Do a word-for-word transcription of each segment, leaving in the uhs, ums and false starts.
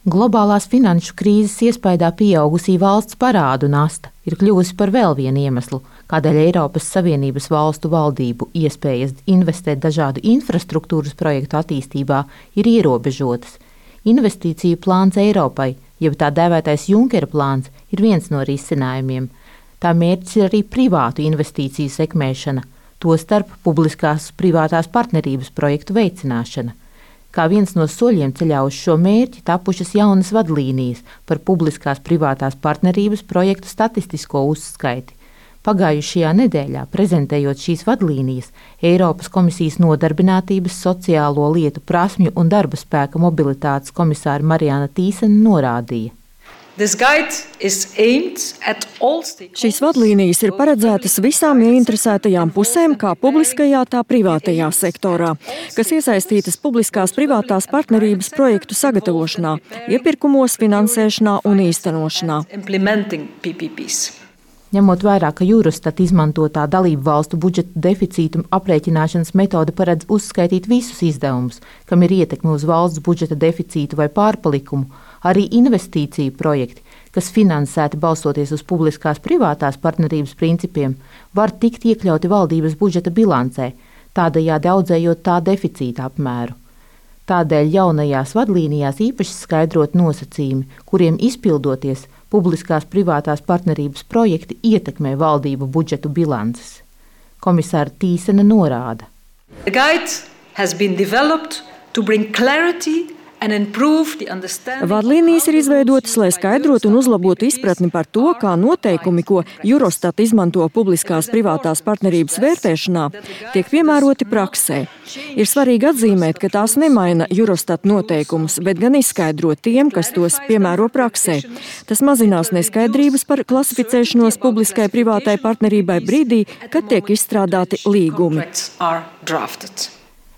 Globālās finanšu krīzes iespaidā pieaugusī valsts parādu nasta ir kļuvusi par vēl vienu iemeslu, kādēļ Eiropas Savienības valstu valdību iespējas investēt dažādu infrastruktūras projektu attīstībā ir ierobežotas. Investīciju plāns Eiropai, jeb tā dēvētais Junkera plāns, ir viens no risinājumiem. Tā mērķis ir arī privātu investīciju sekmēšana, tostarp publiskās privātās partnerības projektu veicināšana. Kā viens no soļiem ceļā uz šo mērķi tapušas jaunas vadlīnijas par publiskās privātās partnerības projektu statistisko uzskaiti. Pagājušajā nedēļā, prezentējot šīs vadlīnijas, Eiropas komisijas nodarbinātības, sociālo lietu, prasmju un darba spēka mobilitātes komisāre Marianna Tīsene norādīja. Šīs vadlīnijas ir paredzētas visām ieinteresētajām pusēm, kā publiskajā, tā privātajā sektorā, kas iesaistītas publiskās privātās partnerības projektu sagatavošanā, iepirkumos, finansēšanā un īstenošanā. Ņemot vērā, ka Eurostat izmantotā dalību valstu budžeta deficītu aprēķināšanas metode paredz uzskaitīt visus izdevumus, kam ir ietekme uz valsts budžeta deficītu vai pārpalikumu, arī investīciju projekti, kas finansēti balstoties uz publiskās privātās partnerības principiem, var tikt iekļauti valdības budžeta bilancē, tādējādi audzējot tā deficīta apmēru. Tādēļ jaunajās vadlīnijās īpaši skaidrot nosacījumi, kuriem izpildoties, publiskās privātās partnerības projekti ietekmē valdību budžetu bilances. Komisāre Tīsene norāda. Vadlīnijas ir izveidotas, lai skaidrotu un uzlabotu izpratni par to, kā noteikumi, ko Eurostat izmanto publiskās privātās partnerības vērtēšanā, tiek piemēroti praksē. Ir svarīgi atzīmēt, ka tās nemaina Eurostat noteikumus, bet gan izskaidro tiem, kas tos piemēro praksē. Tas mazinās neskaidrības par klasificēšanos publiskai privātai partnerībai brīdī, kad tiek izstrādāti līgumi.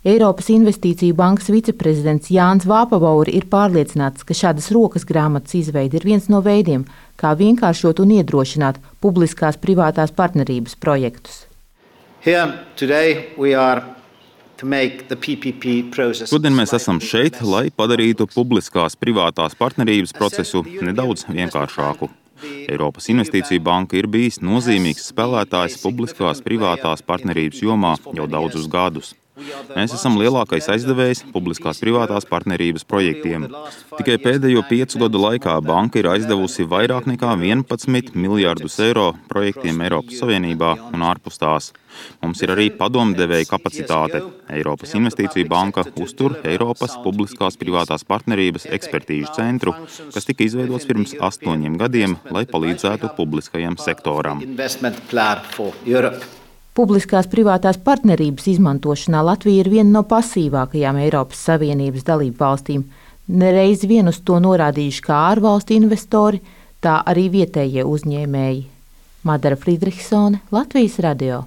Eiropas Investīciju bankas viceprezidents Jānis Vāpavauri ir pārliecināts, ka šādas rokas grāmatas izveide ir viens no veidiem, kā vienkāršot un iedrošināt publiskās privātās partnerības projektus. Šodien mēs esam šeit, lai padarītu publiskās privātās partnerības procesu nedaudz vienkāršāku. Eiropas Investīciju banka ir bijis nozīmīgs spēlētājs publiskās privātās partnerības jomā jau daudzus gadus. Mēs esam lielākais aizdevējs publiskās privātās partnerības projektiem. Tikai pēdējo piecu gadu laikā banka ir aizdevusi vairāk nekā vienpadsmit miljārdus eiro projektiem Eiropas Savienībā un ārpus tās. Mums ir arī padomdevēja kapacitāte. Eiropas Investīciju banka uztur Eiropas publiskās privātās partnerības ekspertīžu centru, kas tika izveidots pirms astoņiem gadiem, lai palīdzētu publiskajam sektoram. Publiskās privātās partnerības izmantošanā Latvija ir viena no pasīvākajām Eiropas Savienības dalību valstīm. Nereiz vien uz to norādījuši kā ārvalstu investori, tā arī vietējie uzņēmēji. Madara Friedrichsone, Latvijas radio.